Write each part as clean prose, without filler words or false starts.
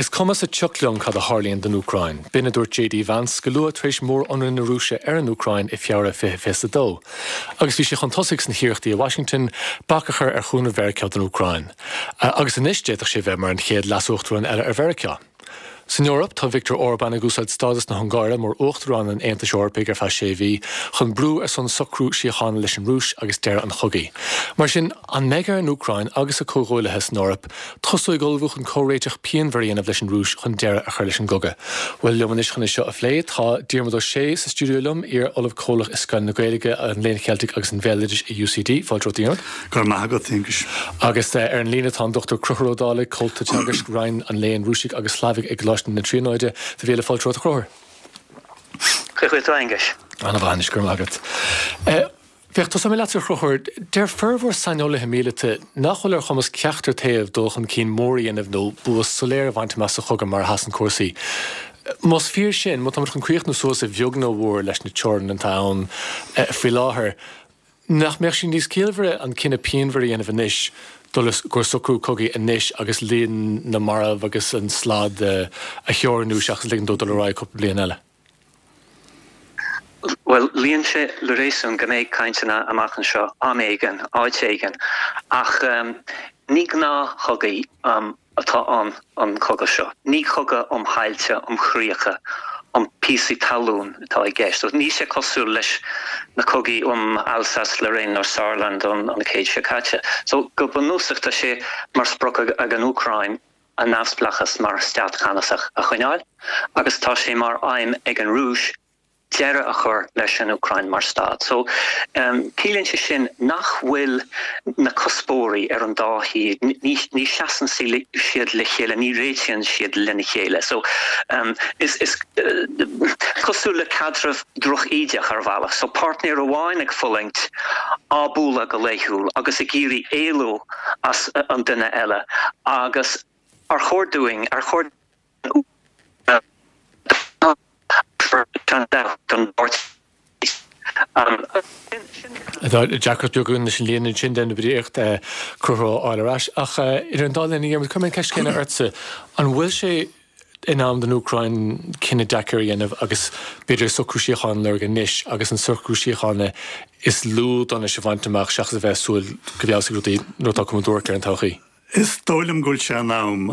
Is cuma sa tsioc liom cad a tharlaíonn don Úcráin. B'in a dúirt JD Vance go luath tar éis mór-ionradh na Rúise ar an Úcráin i Feabhra 2022. Agus bhí sé chun tosaigh sna hiarrachtaí i Washington bac a chur ar chúnamh Mheiriceá don Úcráin. Agus anois d'fhéadfadh sé bheith mar an chéad leasuachtarán eile ar Mheiriceá. San Eoraip, tá Viktor Orbán ag úsáid stádas na hUngáire mar Uachtarán an Aontais Eorpaigh ar feadh sé mhí chun brú ar son socrú síochána leis an Rúis agus deireadh an chogaidh. Mar sin, an mbeidh ar an Úcráin agus a comhghuaillithe san Eoraip tosú ag ullmhú chun comhréiteach pianmhar a dhéanamh leis an Rúis chun deireadh a chur leis an gcogadh? Bhuel, liom anois chun é seo a phlé, tá Diarmuid Ó Sé sa stiúideo liom, iar-Ollamh Comhlach i Scoil na Gaeilge, an Léinn Cheiltigh agus an Bhéaloidis i UCD. Fáilte romhat, a Dhiarmuid. Go raibh maith agat, Aonghus. Agus ar an líne tá an Dr Conchúr Ó Dálaigh, Comhalta Teagaisc, Roinn an Léinn Rúisigh agus Shlavaigh i gColáiste na Tríonóide. Do mhíle fáilte romhat, a Chonchúir. Cén chaoi a bhfuil tú, Aonghus? Ana-mhaith anois, go raibh maith agat. Féach, tosóidh mé leatsa, a Chonchúir. Deir formhór saineolaithe míleata nach bhfuil ar chumas ceachtar taobh dul chun cinn mór a dhéanamh nó bua soiléir a bhaint amach sa chogadh mar a sheasann cúrsaí. Más fíor sin, má táimid chun críochnú suas a bheag nó a mhór leis na teorainn atá ann faoi láthair, Nach mbeadh sé níos ciallmhaire an cinneadh pianmhar a dhéanamh anois, dul i gcomhair socrú cogaidh anois agus líon na marbh agus an slad a theorannú seachas ligean dó dul ar aghaidh cúpla bliain eile? Bhuel, luíonn sé le réasún go mbeidh cainteanna amach anseo am éigin, áit éigin, ach ní gnáthchogaí atá ann an cogadh seo. Ní cogadh um thailte, um chríocha, um píosaí talún atá i gceist. Níl sé cosúil leis na cogaí um Alsace-Lorraine nó Saarland an chéad seo caite. So, go bunúsach tá sé mar sprioc ag an Úcráin a neamhspleáchas mar stát ceannasach a choinneáil agus tá sé mar aidhm ag an Rúis deireadh a chur leis an Úcráin mar stát. So, ciallaíonn sé sin nach bhfuil na cuspóirí ar an dá thaobh, ní sheasann siad le chéile, ní réitíonn siad lena chéile. So, is is cosúil le caidreamh drochídeach ar bhealach. So, páirtnéir amháin ag fulaingt, á bualadh go laethúil agus ag iarraidh éalú as an duine eile agus ar chóir dúinn, ar chóir Tá deacracht beag againn leis an líne ansin déanfaidh muid iarracht Conchúr a fháil ar ais. Ach idir an dá linn, a Dhiarmuid, cuirfidh mé an ceist chéanna ortsa. An bhfuil sé in am don Úcráin cinneadh deacair a dhéanamh agus b'fhéidir socrú síochána a lorg anois agus an socrú síochána is lú donais a bhaint amach seachas a bheith ag súil go bhfeabhsóidh rudaí nuair atá cuma duairc ar an todhchaí? Is dóigh liom go bhfuil sé in am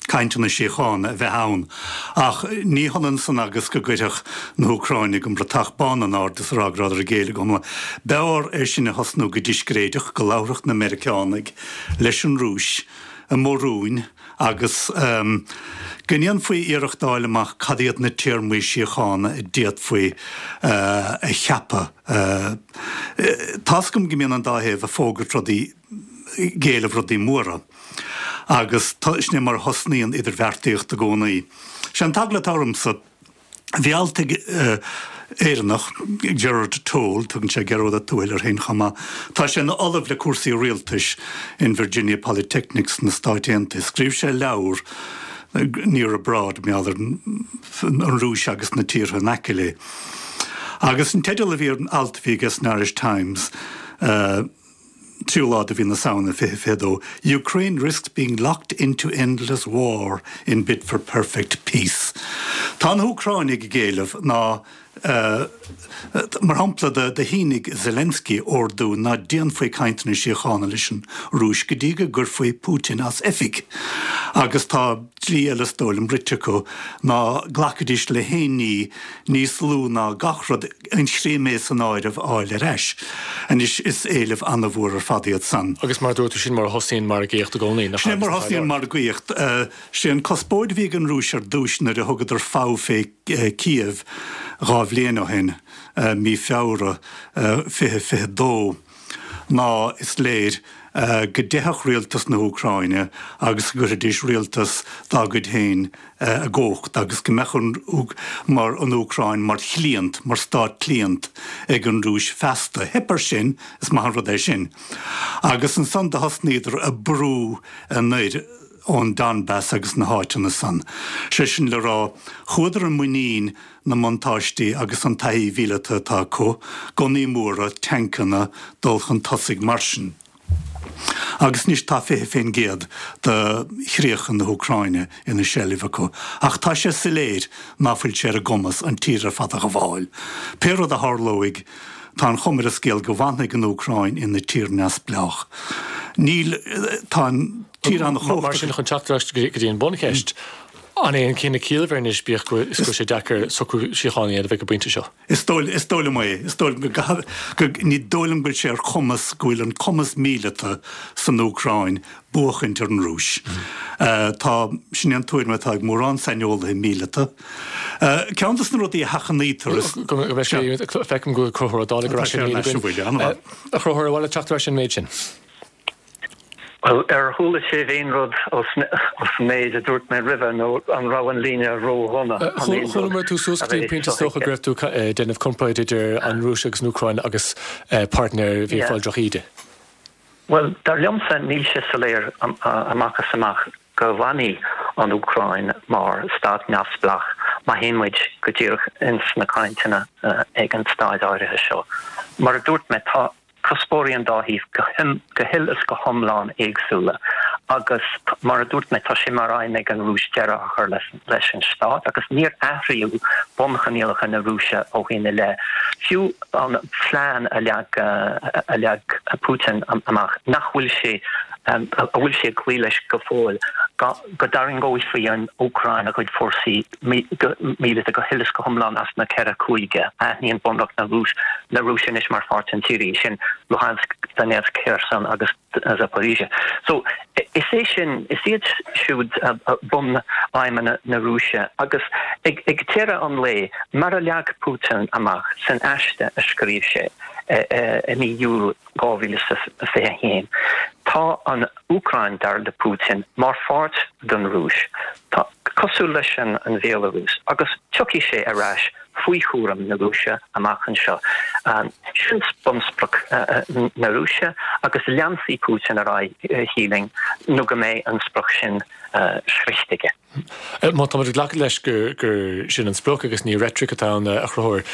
cainteanna síochána a bheith ann, ach ní hionann san agus go gcuirfeadh na hÚcráinigh an bratach bán in airde is a rá go rabhadar ag géilleadh go hiomlán. B'fhearr é sin a thosnú go discréideach, go labharfadh na Meiriceánaigh leis an Rúis i mBodhrún agus go ndéanfaí iarracht a fháil amach cad iad na téarmaí síochána a d'fhéadfaí a cheapadh. Tá's agam go mbíonn an dá thaobh ag fógairt rudaí ag éileamh rudaí móra agus sin é mar a thosnaíonn idirbheartaíocht i gcónaí. Sé an t-eagla atá ormsa, bhí alt ag Éireannach, Gerard Toal, tugann sé Gearóid Ó Tuathail air féin chomh maith, tá sé ina ollamh le cúrsaí rialtais in Virginia Polytechnic sna Stáit Aontaithe, scríobh sé leabhar Near Abroad, mar gheall ar an Rúis agus na tíortha in aice léi. Agus an teideal a bhí ar an alt a bhí aige san Irish Times, 3ú lá de mhí na Samhna 2022, Ukraine risks being locked into endless war in bid for perfect peace. Tá na hÚcráinigh ag éileamh ná, mar shampla, do shínigh Zelensky ordú ná déanfaí cainteanna síochána leis an Rúis go dtí go gcuirfí Putin as oifig. Agus tá dlí eile is dóigh liom rite acu ná glacfaidís le haon ní níos lú ná gach rud, an Chrimé san áireamh, a fháil ar ais. Anois, is éilimh an-mhór ar fad iad san. Agus mar a dúirt tú, sin mar a thosaíonn margaíocht i gcónaí, nach ea? Sin é mar a thosaíonn margaíocht. Sé an cuspóir a bhí ag an Rúis ar dtúis nuair a thugadar fogha fé Kiev 2 bhliain ó shin, mí Feabhra 2022, ná, is léir, go dteipfeadh rialtas na hÚcráine agus go gcuirfidís rialtas dá gcuid féin i gcumhacht agus go mbeadh an mar an Úcráin mar chliant, mar stát cliant ag an Rúis feasta. Theip air sin, is maith an rud é sin. Agus ansan do thosnaíodar ag brú anoir ón Donbass agus na háiteanna san. Sé sin le rá, chuadar i muinín na mbuntáistí agus an taithí mhíleata atá acu, gunnaí móra, tancanna, dul chun tosaigh mar sin. Agus anois tá 20% de chríocha na hÚcráine ina seilbh acu. Ach tá sé soiléir ná fuil sé ar a gcumas an tír ar fad a ghabháil. Pé rud a tharlóidh, tá an chuma ar an scéal go bhfanfaidh an Úcráin ina tír neamhspleách. Níl, tá an tír an-chumhachtach. Mar sin, chun teacht ar ais go dtí an buncheist, an é an cinneadh ciallmhar anois, bíodh go is go bhfuil sé deacair socrú síochána a dhéanamh ag an bpointe seo? Is dóigh, is dóigh liom é. Is dóigh liom go gcaithfidh, go, ní dóigh liom go bhfuil sé ar chumas, go bhfuil an cumas míleata san Úcráin buachaint ar an Rúis. Tá, sin é an tuairim atá ag mórán saineolaithe míleata. Ceann de na rudaí a sheachnaítear is. Go mbeidh sé, feicim go bhfuil Conchúr Ó Dálaigh ar ais ar an líne againn. A Chonchúir, ar mhaith leat teacht ar ais ar an méid sin? Bhuel, ar chuala sibh aon rud ós an méid a dúirt mé roimhe nó an raibh an líne ró-dhona? Chualamar tú suas go dtí an pointe is dócha go raibh tú ag déanamh comparáid idir an Rúis agus an Úcráin agus páirtnéir a bhí ag fáil drochíde. Bhuel, dar liomsa níl sé soiléir amach is amach go bhfanfaidh an Úcráin mar stát neamhspleách má théann muid go díreach ins na cainteanna ag an staid áirithe seo. Mar a dúirt mé, tá. cuspóirí an dá thaobh go huile is go hiomlán éagsúla agus mar a dúirt mé tá sé mar aidhm ag an Rúis deireadh a chur leis an stát agus níor athraíodh bunchoinníollacha na Rúise ó shin i leith. Fiú an plean a leag a leag Putin amach nach bhfuil sé a bhfuil sé ag cloí leis go fóill go dtarraingeofaí an Úcráin a gcuid fórsaí míleata go huile is go hiomlán as na ceithre chúige a aithníonn Bunreacht na na Rúise anois mar pháirt den tír, sin Luhansk, Donetsk, Kherson agus Zaporizhia. So, is é sin, is iad siúd bunaidhmeanna na Rúise agus ag deireadh an lae, mar a leag Putin amach san aiste a scríobh sé i mí Iúil 2021, tá an Úcráin, dar le Putin, mar pháirt den Rúis, tá, cosúil leis an Bhéalarúis, agus tiocfaidh sé ar ais faoi chúram na Rúise amach anseo. Sin bunsprioc na Rúise agus leanfaidh Putin ar aghaidh, shílfinn, nó go mbeidh an sprioc sin sroichte aige. Má táimid ag glacadh leis gur sin an sprioc agus ní reitric atá ann, a Chonchúir,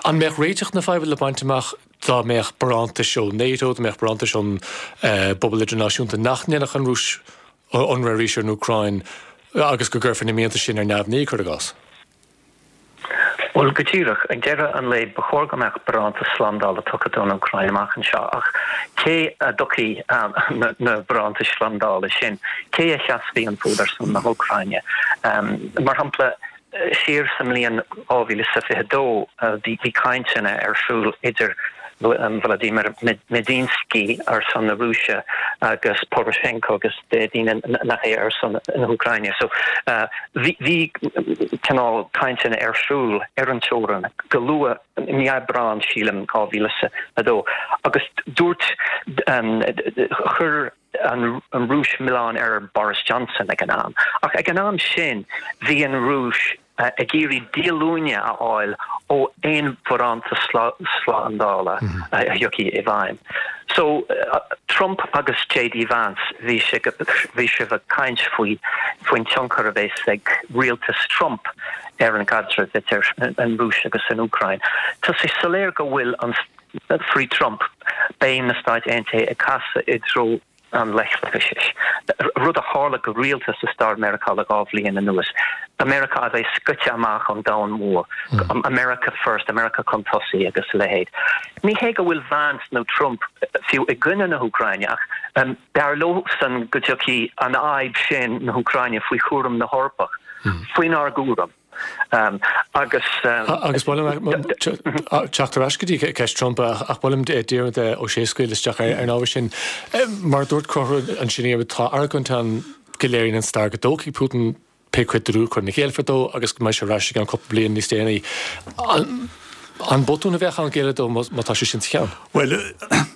an mbeadh réiteach na faidhbe le baint amach dá mbeadh barántais ó NATO, dá mbeadh barántais ón bpobal idirnáisiúnta nach ndéanfadh an Rúis ionradh arís ar an Úcráin agus go gcuirfí na mianta sin ar neamhní, cuir i gcás? Bhuel, go díreach. Ag deireadh an lae, ba chóir go mbeadh barántas slándála tugtha don Úcráin amach anseo. Ach cé a dtiocfaidh na barántais slándála sin? Cé a sheasfaidh an fód ar son na hÚcráine? Mar shampla, siar sa mbliain 2022, bhí cainteanna ar siúl idir Vladimir Medinsky ar son na Rúise agus Poroshenko agus daoine nach é ar son na hÚcráine. So bhí cineál cainteanna ar siúl ar an teorainn go luath i mí Aibreán, sílim, 2002 agus dúirt, chuir an Rúis milleán ar Boris Johnson ag an am. Ach ag an am sin bhí an Rúis ag iarraidh díolúine a fháil ó aon bharántas slándála a thiocfaidh i bhfeidhm. So, Trump agus JD Vance, bhí bhí sibh ag caint faoi faoin tionchar a bheas ag rialtas Trump ar an gcaidreamh idir an Rúis agus an Úcráin. Tá sé soiléir go bhfuil an faoi Trump, beidh na Stáit Aontaithe ag casadh i dtreo an leithleachais, rud a tharla go rialta sa stair Meiriceá le 2 bhliain anuas. America a bheith scoite amach ón domhan mór, America first, America chun tosaigh agus a leithéid. Ní hé go bhfuil Vance nó Trump fiú i gcoinne na hÚcráine ach b'fhearr leosan go dtiocfaidh an fhadhb sin na hÚcráine faoi chúram na hEorpach, faoinár gcúram. Agus. Agus ba mhaith liom teacht ar ais go dtí ceist Trump ach ba mhaith liom Diarmaid Ó Sé a scaoileadh isteach ar an ábhar sin. Mar a dúirt Conchúr ansin, tá argóint ann go léiríonn an stair go dtógfaidh Putin pé cuid den Úcráin a ghéillfear dó agus go mbeidh sé ar ais i gceann cúpla bliain níos déanaí. An botún a bheadh ann géilleadh dó má tá sé sin sa cheann? Bhuel,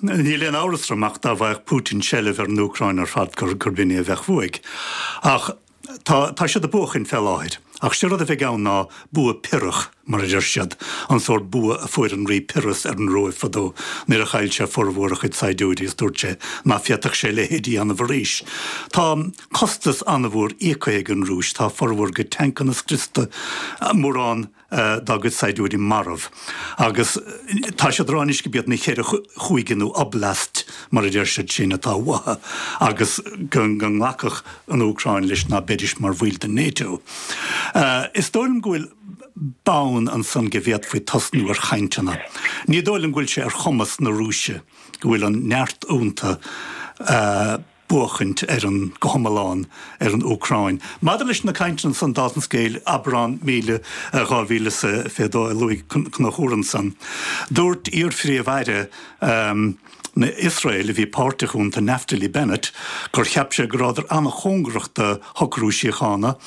níl aon amhras orm ach dá bhfaigheadh Putin seilbh ar an Úcráin ar fad gurb in é a bheadh uaidh. Ach. Tá, tá siad ag buachaint fé láthair, ach sé rud a bheidh ann ná bua Pyrrhach. mar a deir siad, an sórt bua a fuair an Rí Pyrrhus ar an Róimh fadó nuair a chaill sé formhór a chuid saighdiúirí is dúirt sé ná féadfadh sé a leithéid a dhéanamh arís. Tá costas an-mhór íoctha ag an Rúis, tá formhór a gcuid tancanna scriosta, mórán dá gcuid saighdiúirí marbh agus tá siad ag rá anois gurb iad na ceithre chúige nó oblast mar a deir siad sin atá uathu agus go nglacfadh an Úcráin leis ná beidís mar bhaill den NATO. Is dóigh liom go bhfuil bonn ansan go bhféadfaí tosnú ar chainteanna. Ní dóigh liom go bhfuil sé ar chumas na Rúise, go bhfuil an neart iontu, buachaint ar an, go hiomlán, ar an Úcráin. Maidir leis na cainteanna san, dála an scéil, Aibreán 2022 a luaigh Conchúr ansan, dúirt iar-Phríomh-Aire na Iosrael a bhí páirteach iontu, Naftali Bennett, gur cheap sé go rabhadar an-chóngarach do shocrú síochána.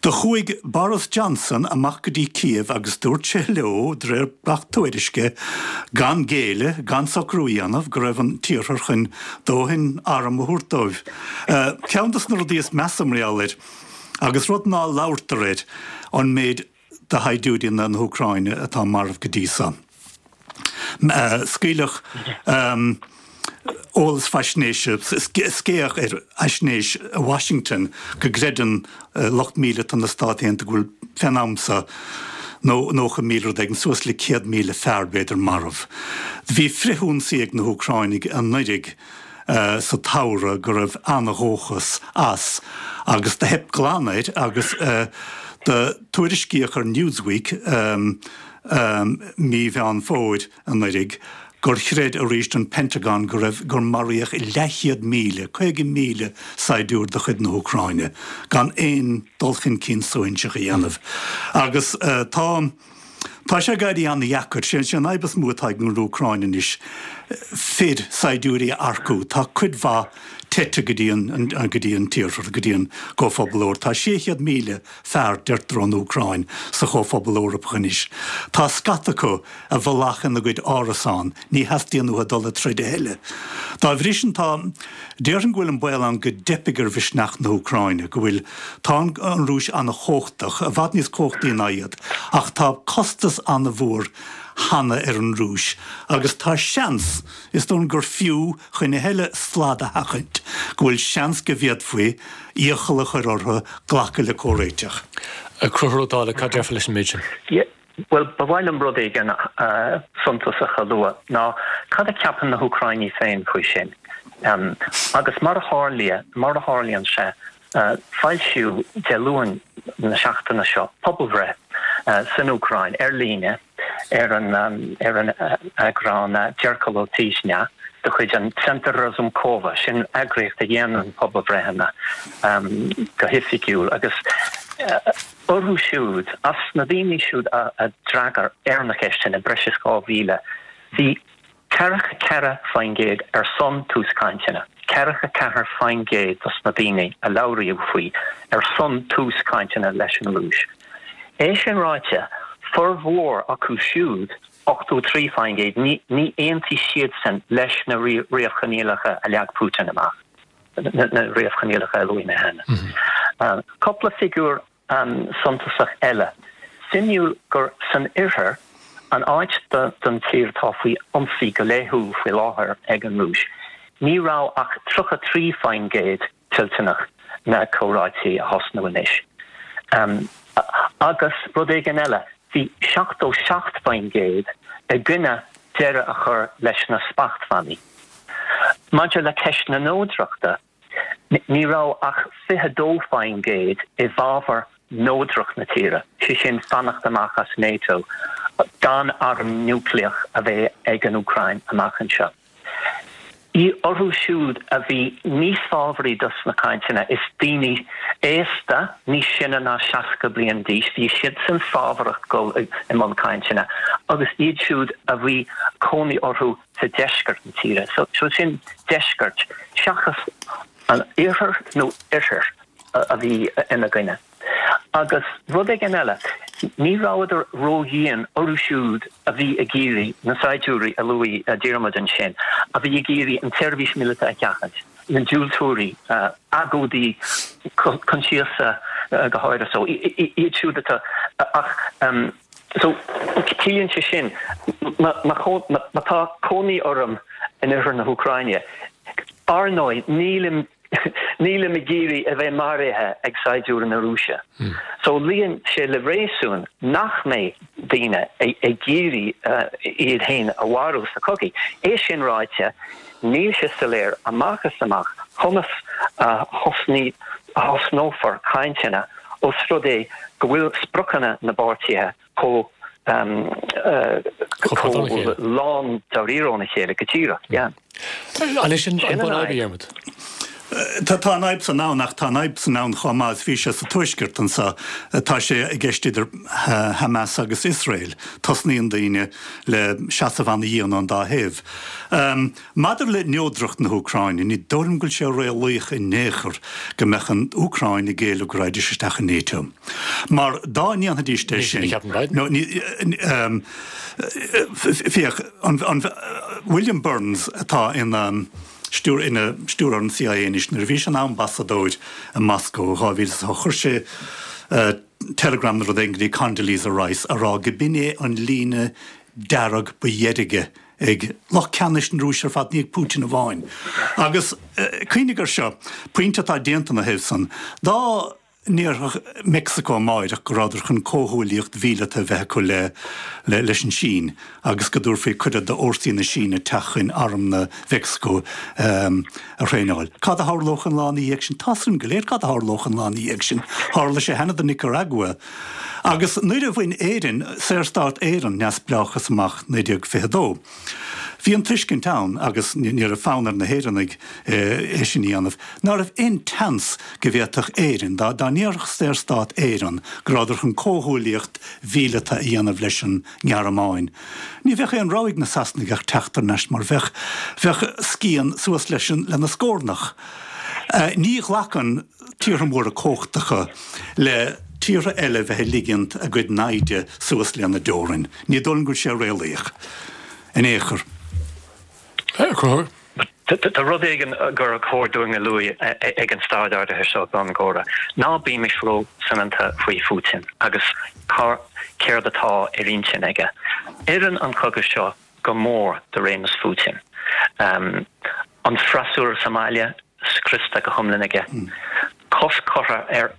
Do chuaigh Boris Johnson amach go dtí Kiev agus dúirt sé leo, de réir gach tuairisce, gan géilleadh, gan socrú a dhéanamh, go raibh an tIarthar chun dóthain arm a thabhairt dóibh. Ceann dos na rudaí is measa mar gheall air, agus rud ná labhartar air, an méid de shaighdiúirí na hÚcráine atá marbh go dtí so. Scaoileadh eolas faisnéise, scéach ar fhaisnéis i Washington go gcreideann lucht míleata na Stát Aontaithe go bhfuil fén am so 90,000 rud éigin, suas le 100,000 fear b'fhéidir marbh. Bhí frithionsaí ag na hÚcráinigh anuiridh sa tsamhradh go raibh an-dhóchas as agus do theip glan air agus do tuairiscíodh ar Newsweek mí Mheán Fómhair anuiridh gur chreid arís an Pentagon go raibh gur maraíodh leathchéad míle, 50,000 saighdiúir de chuid na hÚcráine gan aon dul chun cinn suaithinseach a dhéanamh agus tá Tá sé ag éirí an-dheacair. Sé an fhadhb is mó atá ag an Úcráin anois, fir, saighdiúirí a earcú. Tá cuid mhaith teite go dtí an, go dtí an tIarthar, go dtí an gComhphobal Eorpach. Tá 600,000 fear, deirtear, ón Úcráin sa Chomhphobal Eorpach anois. Tá scata acu i bhfolach ina gcuid árasán, ní theastaíonn uathu dul ag troid a thuilleadh. Dá bhrí sin tá, déarfainn go bhfuil an baol ann go dteipfidh ar mhisneach na hÚcráine, go bhfuil, tá an Rúis an-chumhachtach, i bhfad níos cumhachtaí ná iad, ach tá costas an-mhór cheana ar an Rúis agus tá seans, is dóigh liom gur fiú, chun a thuilleadh slad a sheachaint, go bhfuil seans go bhféadfaí iachall a chur orthu glacadh le comhréiteach. Conchúr Ó Dálaigh, cad déarfá leis an méid sin? Bhuel, ba mhaith liom rud éigin suntasach a lua, ná cad a cheapann na hÚcráinigh féin faoi sin? Agus mar a tharlaíonn, mar a tharlaíonn sé, foilsíodh Dé Luain na seachtaine seo pobalbhreith san Úcráin ar líne ar an ar an eagrán Dzerkalo Tyzhnia de chuid an Tsentr Razumkova, sin eagraíocht a dhéanann pobalbhreitheanna go hoifigiúil, agus orthu siúd, as na daoine siúd a d'fhreagair ar na ceisteanna, breis is 2,000, bhí 44% ar son tús cainteanna, 44% dos na daoine a labhraíodh faoi ar son tús cainteanna leis an Rúis. É sin ráite, formhór acu siúd, 83%, ní aontaigh siadsan leis na réamhchoinníollacha a leag Putin amach, na réamhchoinníollacha a luaigh mé cheana. Cúpla figiúr suntasach eile. Suimiúil gur san oirthear, an áit den tír atá faoi ionsaí go laethúil faoi láthair ag an Rúis, ní raibh ach 33% toilteanach na comhráití a thosnú anois. Agus rud éigin eile, bhí 77% i gcoinne deireadh a chur leis na smachtbhannaí. Maidir le ceist na neodrachta, Ní raibh ach 22% i bhfabhar neodracht na tíre, sé sin fanacht amach as NATO, gan arm núicléach a bheith ag an Úcráin amach anseo. Orthu siúd a bhí níos fábhraí dos na cainteanna, is daoine aosta, níos sine ná 60 bliain d'aois, bhí siadsan fábharach dul i mbun cainteanna, agus iad siúd a bhí cónaí orthu sa deisceart na tíre. So sin deisceart seachas an iarthar nó oirthear a bhí ina gcoinne. Agus rud éigin eile, ní rabhadar ródhian orthu siúd a bhí ag iarraidh, na saighdiúirí a luaigh Diarmuid ansin, a bhí ag iarraidh an tseirbhís míleata a sheachaint, na diúltóirí, agóidí coinsiasa go háirithe. So iad siúd atá ach. So, ciallaíonn sé sin, má tá cónaí orm in oirthear na hÚcráine, ar ndóigh, nílim, nílim ag iarraidh a bheith maraithe ag saighdiúirí na Rúise. So, luíonn sé le réasún nach mbeidh daoine ag iarraidh iad féin a mharú sa chogaidh. É sin ráite, níl sé soiléir amach is amach conas a thosnófar cainteanna Ós rud é go bhfuil spriocanna na bpáirtithe chomh chomh lán dáiríre óna chéile, go díreach, yeah. An é sin an bhunfhadhb, a Dhiarmaid? Tá an fhadhb san ann ach tá an fhadhb san ann chomh maith is bhí sé sa tuaisceart anseo. Tá sé i gceist idir Hamas agus Iosrael. Tosnaíonn daoine le seasamh ana-dhian ón dá thaobh. Maidir le neodracht na hÚcráine, ní dóigh liom go bhfuil sé réalaíoch in aon chor go mbeadh an Úcráin ag géilleadh go raghaidís isteach i NATO. Mar dá ndéanfaidís é sin, nó ní, féach, an, William Burns atá ina stiúr, ina stiúrthóir an CIA anois, nuair a bhí sé ina ambasadóir i Moscó i 2008, chuir sé teileagram nó rud éigin go dtí Condoleezza Rice a rá go b'in é an líne dearg ba dheirge ag lucht ceannais na Rúise ar fad, ní ag Putin amháin. Agus cuimhnigh air seo, pointe atá déanta ina thaobh san, dá ndéarfadh Meicsiceo amáireach go rabhadar chun comhghuaillíocht mhíleata a bheith acu le leis an Sín agus go dtabharfaí cuireadh d'fhórsaí na Síne teacht chun arm Mheicsiceo a thraenáil. Cad a tharlódh an lá ina dhiaidh sin? Tá's againn go léir cad a tharlódh an lá ina dhiaidh sin. Tharla sé cheana do Nicaragua. Agus nuair a bhain Éirinn, Saorstát Éireann, neamhspleáchas amach 1922, bhí an tuiscint ann, agus ní raibh fonn ar na hÉireannaigh é sin a dhéanamh, ná raibh aon tseans go bhféadfadh Éirinn, dá ndéarfadh Saorstát Éireann go rabhadar chun comhghuaillíocht mhíleata a dhéanamh leis an nGearmáin, ní bheadh aon rogha ag na Sasanaigh ach teacht thar n-ais mar bheadh, bheadh scian suas leis an, lena scórnach. Ní ghlacann. tíortha móra cumhachtacha le tíortha eile bheith ag ligint a gcuid naimhde suas lena dteorainn. Ní dóigh liom go bhfuil sé réalaíoch in aon chor. A Chonchúir. Tá rud éigin gur chóir dúinn a lua ag an staid áirithe seo don gcomhrá. Ná bímis ró-soineanta faoi Phutin agus céard atá ar intinn aige. Oireann an cogadh seo go mór do réimeas Phutin. An freasúra sa mbaile scriosta go hiomlán aige. Cosc curtha ar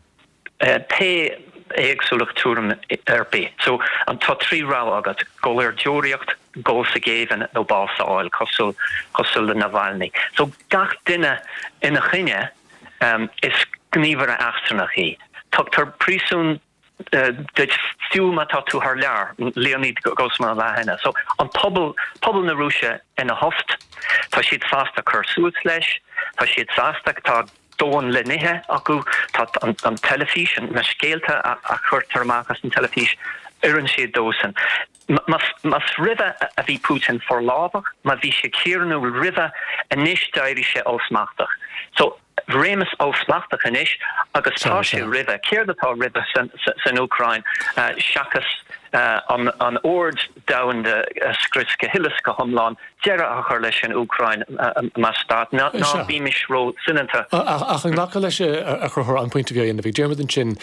pé éagsúlacht tuairim ar bith. So, tá 3 rogha agat, dul ar deoraíocht, dul sa ghéibheann nó bás a fháil, cosúil cosúil le Navalny. So, gach duine ina choinne, is gníomhaire eachtrannach í. Tugtar príosún duit fiú má tá tú thar lear, Leonid Grossman an lá cheana. So, an pobal, pobal na Rúise ina thost, tá siad sásta cur suas leis, tá siad sásta, tá dóthain le n-ithe acu, tá an teilifís, na scéalta a chuirtear amach as an teilifís, oireann siad dósan. Más roimhe a bhí Putin forlámhach, má bhí sé tiarnúil roimhe, anois d'éirigh sé ollsmachtach. So, réimeas ollsmachtach anois agus tá sé roimhe. Céard atá roimhe san Úcráin seachas an ord domhanda a scrios go huile is go hiomlán, deireadh a chur leis an Úcráin mar stát? Ná bímis ró-soineanta. Ach an nglacfá leis, a Chonchúir, an pointe a bhí á dhéanamh ag Diarmuid ansin,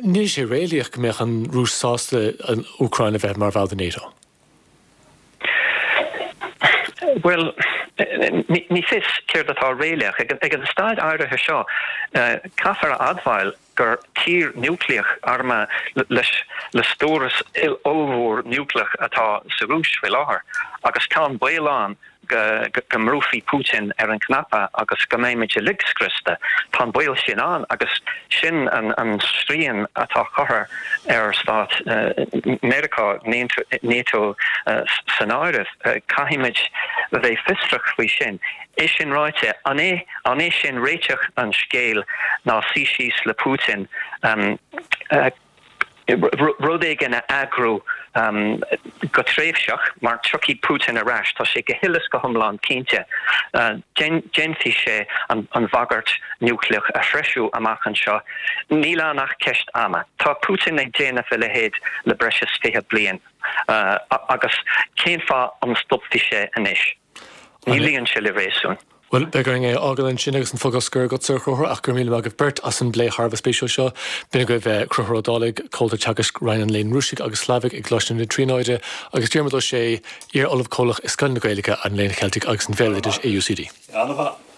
Níl sé réalaíoch go mbeadh an Rúis sásta an Úcráin a bheith mar bhall de NATO. Bhuel, ní fios céard atá réalaíoch. Ag an staid áirithe seo, caithfear a admháil gur tír núicléach armtha le stóras ollmhór núicléach atá sa Rúis faoi láthair agus tá an baol ann go mbrúfaí Putin ar an chnaipe agus go mbeimid uilig scriosta. Tá an baol sin ann agus sin an srian atá curtha ar stáit Meiriceá, NATO san áireamh. Caithfimid a bheith fiosrach faoi sin. É sin ráite, an é an é sin réiteach an scéil ná suí síos le Putin? rud éigin a eagrú go tréimhseach, mar tiocfaidh Putin ar ais, tá sé go huile is go hiomlán cinnte. Déanfaidh sé an bhagairt núicléach a threisiú amach anseo. Níl ann ach ceist ama. Tá Putin ag déanamh a leithéid le breis is 20 bliain agus cén fáth an stopfaidh sé anois? Ní luíonn sé le réasún. Bhuel, beidh orainn é a fhágáil ansin agus an focal scoir agatsa, a Chonchúir, ach go raibh míle maith agaibh beirt as an bplé thar a bheith spéisiúil seo. B'in agaibh Conchúr Ó Dálaigh, Comhalta Teagaisc Roinn an Léinn Rúisigh agus Shlavaigh i gColáiste na Tríonóide, agus Diarmuid Ó Sé, Iar-Ollamh Comhlach i Scoil na Gaeilge, an Léinn Cheiltigh agus an Bhéaloidis i UCD. An-mhaith.